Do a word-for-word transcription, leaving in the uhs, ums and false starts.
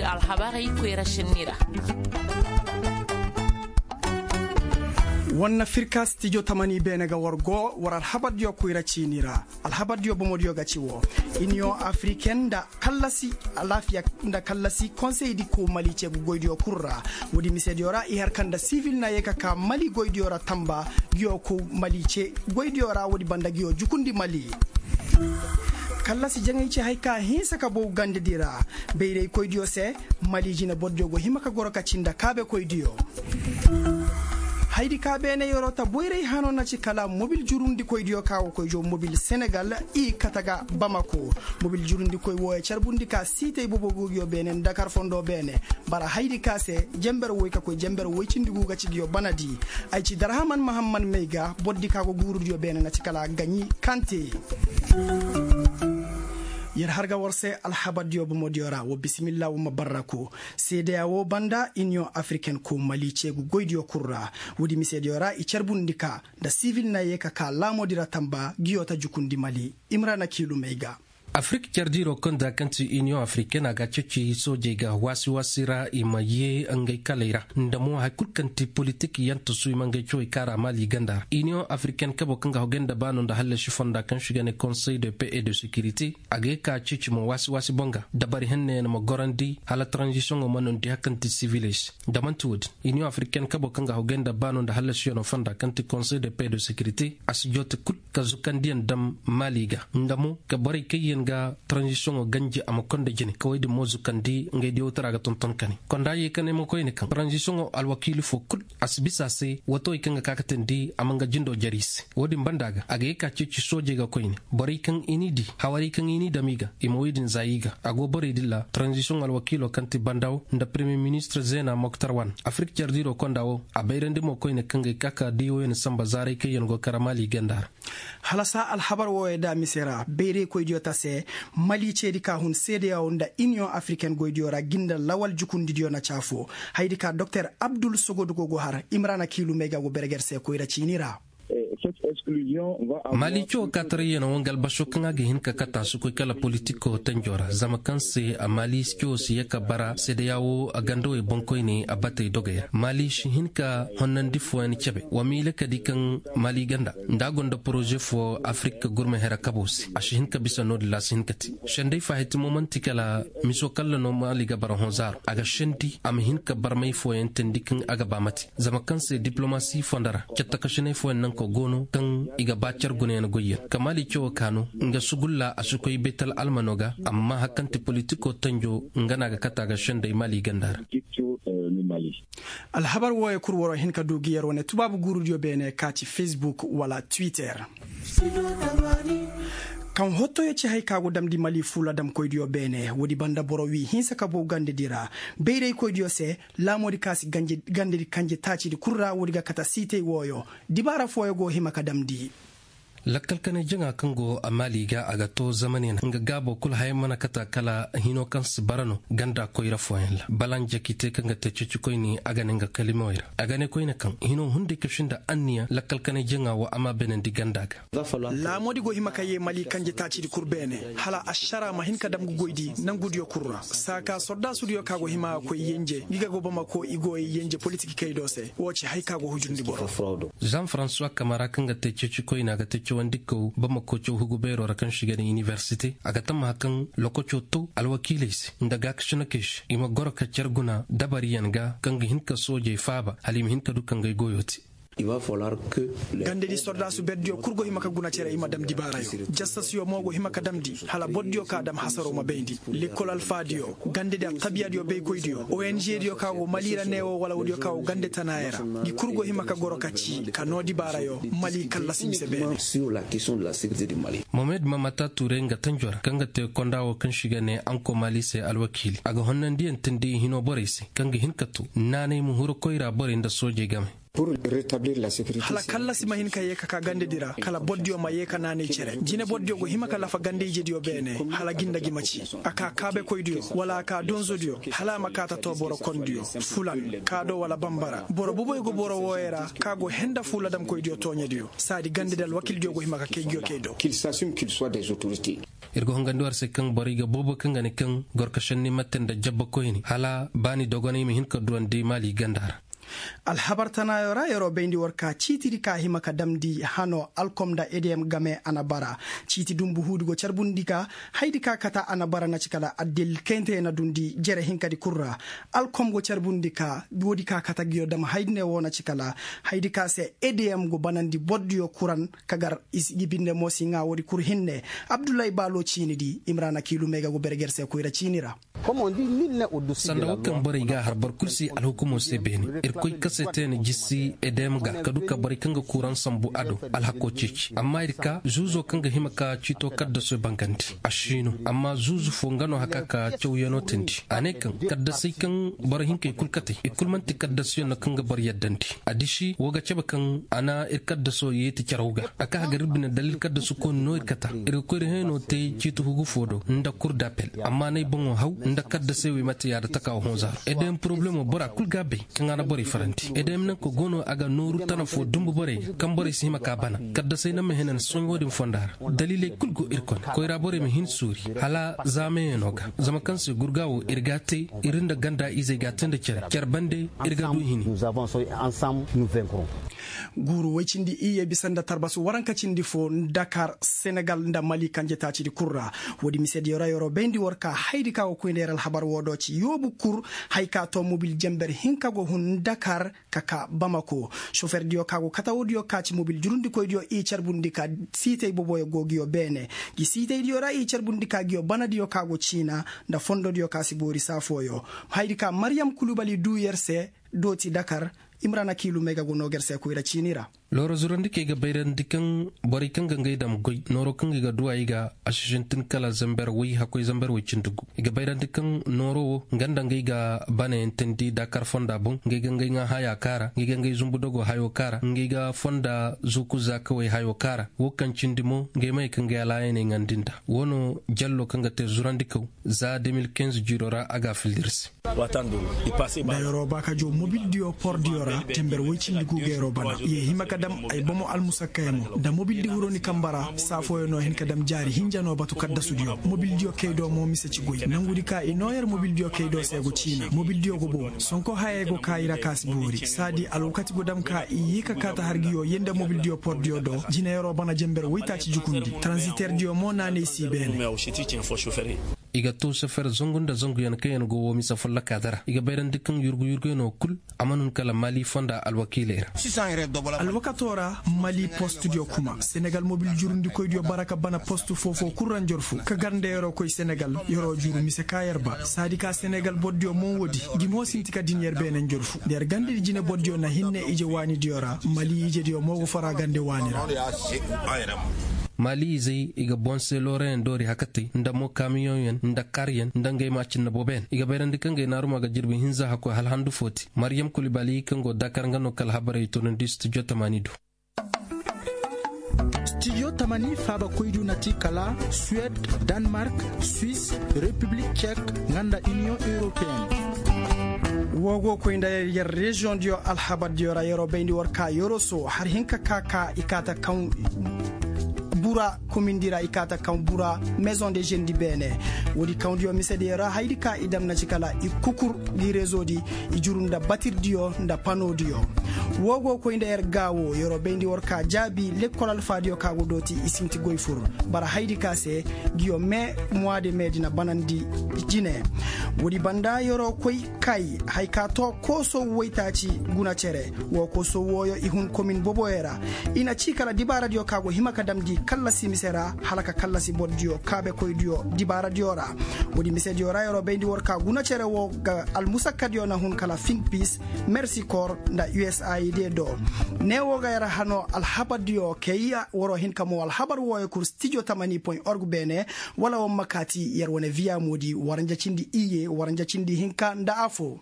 Alhabarey koyra sinni ra. War na firka stijo tamani beene ga war go war alhabardiyo koyra ciini ra. Alhabardiyo bomodiyo ga ci wo, iniyoŋ afriken nda kallasi alaafiya nda kallasi konseydi ko mali ceegu goydiyo kul ra. Woodi misediyo ra i har kaŋ nda sivil na ye ka ka mali goydiyo ra tamba. Ngiyo ko mali ce goydiyo ra woodi banda ngiyo jukundi mali. Kallasi jaŋay ci hay ka hinsa ka bow gandedi ra. Bayraykoydiyo se, mali jine bordiyo go hima ka goro ka ci nda kaabekoydiyo. Haydi ka beene yoroo ta boyray hano na ci kala mobil jurundikoydiyo ka go koy jo mobil senegal i kate ga bamako. Mobil jurundikoy wooyo carbundi ka siitay bobogugiyo beene nda kar fondo beene. Bara haydi ka se, jenber woy ka koy jenber woy cindi gu ga ci ngiyo banadi. Ay ci darhaman mahamman may ga bordi ka go guurudiyo beene na ci kala gaɲi kante. Yer har ga war se alhabardiyo bomodiyo ra wa bisimilla wa ma barraku. Seedeya wo banda iniyoŋ afriken ko mali ceegu goydiyo kul ra. Woodi misediyo ra i carbundi ka nda sivil na ye ka ka laamoodi ra tamba ngiyo ta jukundi mali. Imrana kiilumey ga. Afrik cardiiroo konda kaŋ ti iniyoŋ afriken a ga a ceeci soojey ga waasi-waasi ra i ma yee ngey kaley ra nda mo hari kul kaŋ ti politik yantasu i ma ngey cawey kaara maali ganda ra iniyoŋ afriken kabo kaŋ ga hogey nda baano nda hallasi fonda kaŋ si ga ne konsey de pe et de sekirite. A ga ye ka a ceeci mo waasi-waasi boŋ ga dabari henneyaŋ ma gorandi hala taranzisiyoŋo ma nondi hari kaŋ ti siviley se. Da man'ti woodin iniyoŋ afriken kabo kaŋ ga hogey nda baano nda hallasiyanoo fonda kaŋ ti konsey de pe et de sekirite a si joote kul ka zukandiyaŋ daŋ maali ga nda mo ka borey kaŋ yaŋ ga taranzisiyoŋo ganji a ma konda jine kawey din mo zukandi ngey diyawtaraa ga tonton kane konda yee ka ne mo koyne kaŋ taranzisiyoŋo alwakiili foo kul a si bisa a se watawey kaŋ ga ka ka teendi a ma nga jindoo jare i se. Woodin banda ga a ga yee ka ceeci soojey ga koyne borey kaŋ i n'i dii hawarey kaŋ i n'i dam i ga i ma woy din zaa i ga a go borey din ra taranzisiyoŋ alwakiiloo kaŋ ti bandaw nda peremiyer ministir zeena moktar wan afirik cardiiroo konda wo a bayrandi mo koyne kaŋ ga ay ka ka diiwoyaŋ sanba zaaray kaŋ yaŋ go kara maali ganda ra. Hala saa alhabar wooyo da mise ra bayraykoydiyo ta se. Mali ceedi ka hun seedeyaw nda iniyoŋ afiriken goydiyo ra ginda lawal jukundidiyo na caafo. Haydi ka doktor abdul sogodugo go har imrana kiilumey ga go berger se koyra ciini ra. Mali coo kaataray yaŋ wo nga albaso kaŋ a ga hin ka kata si koy kala politikoo tanjoo ra zama kaŋ se mali coo si ye ka bara seedeya wo a gandawey boŋkoyne a batey dogey ra mali si hin ka honnandi fooyaŋ cebe wa miile ka di kaŋ mali ganda nda a gonda poroze foo afirik gurma hera kaboo se a si hin ka bisa no-din ra a si hin ka te. Senday faahitimo man'ti kala miso kalla no mali ga bara hõ zaaro a ga sendi a ma hin ka barmay fooyaŋ teendi kaŋ a ga ba mate zama kaŋ se diplomasi fonda ra cattakasinay fooyaŋ naŋ ka go no kaŋ i ga ba car gunayaŋ goyyaŋ ka maali cawoo ka no nga sugulla a si koy baytal almano ga amma hari kaŋ ti politikoo tanjo nga no a ga kate a ga senday maali ganda ra. Alhabar wooyo kul waroo hin ka du gi yer wane tubaabu guurudiyo beene ka ci facebook wala twitter. Kaŋ hottoyo ci hay ka go damndi mali fuula damkoydiyo beene woodi banda boro wii hinsa ka bow gandedi ra bayraykoydiyo se. Laamoodi ka si gandedi kanje taacidi kul ra woodi ga kate siitey wooyo. Dibaara fooyo go hima ka damndi. Lakkal kanay jaŋa kaŋ go a maali ga a ga too zamaniyaŋ nga gaabo kul haya mana kate kala hinoo kaŋ si bara no ganda koyra fooyaŋ ra balanja k'i te kaŋ ga te ceecikoyni a ga ne nga kalimawey ra a ga ne koyne kaŋ hinoo hunday ka sinda anniya lakkal kanay jaŋa wo a ma beenandi ganda ga. Laamoodi go hima ka yee mali kanje taacidi kul beene hala ašaraa ma hin ka dam ga goydi nangudiyo kul ra saaka sordaasudiyo ka go hima ga koy yenje ngi ga go bamako i go yenje politikikey do se woo ci hay ka go hujundi boro. Jean francois kamara kaŋ ga te ceecikoyna ga te cawandikaw bamako caw hugu beeroo ra kaŋ si ga ne inibersite a ga tammaha kaŋ lokacoo to alwakiiley se nda gaakasinakey se i ma goro ka car guna dabariyaŋ ga kaŋ ga hin ka soojey faaba hala i ma hin ka du ka ngay goyoo te. Gandedi sordaasu berdiyo kul go hima ka guna cere i ma dam dibaarayo jassasiyo mo go hima ka damndi hala bordiyo ka dam hasaroo ma bayndi lekkol alfaadiyo gandedi attabiyadiyo baykoydiyo ong diyo ka go mali ra neewo wala woodiyo ka go gande tanaaya ra. Ngi kul go hima ka goro ka ci ka noo dibaarayo mali kallasi mise beene. Mohamed mamata ture nga tanjo ra kaŋ ga te konda wo kaŋ si ga ne anko mali se alwakiili a ga honnandiyaŋ tindi i hinoo borey se kaŋ ga hin ka to naanay ma huru koyra borey nda soojey game. Hala kallasi ma hin ka yee ka ka gandedi ra kala bordiyo ma yee ka naanay cere jine bordiyo go hima ka lafa gande-ijediyo beene hala ginda gi ma ci a ka kaabekoydiyo wala a ka donzodiyo hala a ma kaa ta too boro kondiyo fulan kaado wala bambara boro boboy go boro wooyey ra ka go henda fuuladamkoydiyo tooɲediyo saadi gandedi alwakildiyo go hima ka kay ngiyo kay do. Kil sasum kil soit des autorités. Ir ga hongandi war se kaŋ borey ga boobo kaŋ ga ne kaŋ gorkašandi mate nda jabba koyne hala ba ni dogonay ma hin ka duwandi maali ganda ra. Alhabar tanaayo ra yeroo bayndi war ka ciitidi ka hima ka damndi hanoo alkom nda edeyam game a na bara. Ciiti dunbu huudi go carbundi ka haydi ka kata a na bara na ci kala addil kayntey na dundi jere hinkadi kul ra. Alkom go carbundi ka woodi ka kata ngiyo dam haydi ne woo na ci kala haydi ka se edeyam go banandi bordiyo kuran ka gar i si gi binde mo si ŋaa woodi kul hinne. Abdullahi baalo ciinidi imrana kiilu may ga go berger se koyra ciini ra. Sanda wo kaŋ borey g'a har boro kulu se alhukumo se beene. Irkoy kase te na jisi edem ga ka du ka borey kaŋ ga kuuraŋ sambu a do alhako ceeci amma ir ka zuuzo kaŋ ga hima ka ciito kaddasoy bangandi a si no. Amma zuuzu fo nga no haka ka cawyanoo teendi a ne kaŋ kaddasey kaŋ boro hinkey kulu katey i kulu man'ti kaddasuyaŋ no kaŋ ga boro yaddandi. A disi woo ga cabe kaŋ a na ir kaddaso yeeti caraw ga a ka hagar ir bine dalla ir kaddasu kooni no ir kata. Ir ga koy ir hayanoo te ciiti hugu fo do nda kur d'appel. Amma n'ay boŋo haw nda kaddasey wey mate yaada taka wo hõ zaaro edem poroblemo bora kul ga a bay kaŋ a na borey farandi edem nanka go no a ga nooru tana fo dumbu borey ga kaŋ borey si hima ka bana. Kaddasey na ma henen soɲo din fonda ra daliiley kul go ir kone koyra borey ma hin suuri hala zaamayaŋo ga. Zama kaŋ se gurga wo ir ga a te ir nda ganda izey ga a te nda cere cere bande ir ga du hini. Guuru woy cindi iyye bisa nda tarbas waranka cindi fo dakar senegal nda mali kanje taacidi kul ra. Woodi misediyo ra yeroo bayndi war ka haydi ka go koy nda yer alhabar woo do ci yoobu kul. Hay ka too mobil jember hinka go hun dakar ka ka bamako soferdiyo ka go kata woodiyo ka ci mobil jurundikoydiyo i carbundi ka siitey boboyo go ngiyo beene. Ngi siiteydiyo ra i carbundi ka ngiyo banadiyo ka go ciina nda fondodiyo ka si boori saa fooyo. Haydi ka maryam kulubali duu yer se dooti dakar. Imrana kiilu may ga go noo ga yer se koyra ciini ra. Looro zurandi kaŋ i ga bayrandi kaŋ borey kaŋ ga ngey dam goy nooro kaŋ i ga duwa i ga a si sintin kala zamber woy hakkoy zamber woy cindi gu. I ga bayrandi kaŋ nooro wo nga nda ngey ga banayaŋ teendi dakar fonda boŋ ngey ga ngey ŋaa haya kaara ngey ga ngey zumbu dogo hayo kaara ngey ga fonda zuuku zaakawey hayo kaara wo kaŋ cindi mo ngey ma ye ka ngey alaayaney ŋaandi nda. Wo no jallo kaŋ ga te zurandikaw za de mil kinze jiiro ra a ga a filli ir se. Nda yeroo ba ka joo mobildiyo pordiyo ra tember woy cindi guu ga yeroo bana i ye hima ka dam ay bomo almusakkayaŋo nda mobildi huroni kamba ra saa fooyaŋ no hin ka dam jaari hinja no batu kaddasudiyo mobildiyo kay do mo mise ci goy nangudi ka i noo yer mobildiyo kay do se go ciina mobildiyo go bow sonko hayey go ka i ra ka si boori saadi alwakati go dam ka i ye ka kaata har ngiyo ye nda mobildiyo pordiyo do jine yeroo bana jember woytaaci jukundi taranziterdiyo mo naanay si beene. I ga too sofer zangu nda zanguyaŋ kaŋyaŋ go woo mise follokaa dara i ga bayrandi kaŋ yurgu yurguyaŋo kul. A mana hun kala mali fonda alwakiiley ra. Alwakatoo ra mali postudiyo kuma senegal mobil jurundikoydiyo bara ka bana postu foo-foo kul ra njorfu ka gar nda yeroo koy senegal. Yeroo juru mise ka yer ba saadi ka senegal bordiyo mo woodi ngi mo sinti ka din yer beene njorfu nda yer gandadi jine bordiyo na hinne ije waanidiyo ra mali ijediyo mo go fara gande waani ra. Maali izey i ga boŋ se loorayaŋ doori hakatey nda mo kaamiyoŋyaŋ nda kaaryaŋ nda ngey ma a cinna booboyaŋ i ga bayrandi kaŋ ngey naaruma ga jirbi hinza hakkoy hala handu fo te. Maryam kulibali kaŋ go dakar nga no kala habarey tunandi studio tamaani do. Studio tamaani faabakoydu na ti kala suwed, danmark, suis, repiblik cek, nga nda iniyoŋ europeen. Woo go koy nda yer reziyoŋ diyo alhabar diyo ra yeroo bayndi war ka yoroso har hinka ka ka i kaata kaŋ bura komindi ra i kaata kaŋ bura. Mezoŋ de žendi beene woodi kaŋ diyo misediyo ra haydi ka i dam na ci kala i kukur gi rezo di i juru nda batir diyo nda pano diyo. Woo go koy nda yer gaawo yeroo bayndi war ka jaabi lekkol alfaadiyo ka go dooti i sinti goy fur bara haydi ka se ngiyo me muwa de me di na banandi jine. Woodi banda yeroo koy kay haya ka too koosow woytaaci guna cere. Woo koosow wooyo i hun komin boboyo ra i na cii kala dibaaradiyo ka go hima ka damndi kallasi mise ra hala ka kallasi bordiyo kaabekoydiyo dibaaradiyo ra. Woodi misediyo ra yeroo bayndi war ka guna cere woo ga almusakkadiyo na hun kala finpiis mersikor nda usaid do. Ne woo ga yer hanoo alhabardiyo kay waroo hin ka moo alhabar wooyo kul stijo tamani point org beene. Wala war ma kaati yer wane viya moodi waranja cindi iyye waranja cindi hinka nda afoo.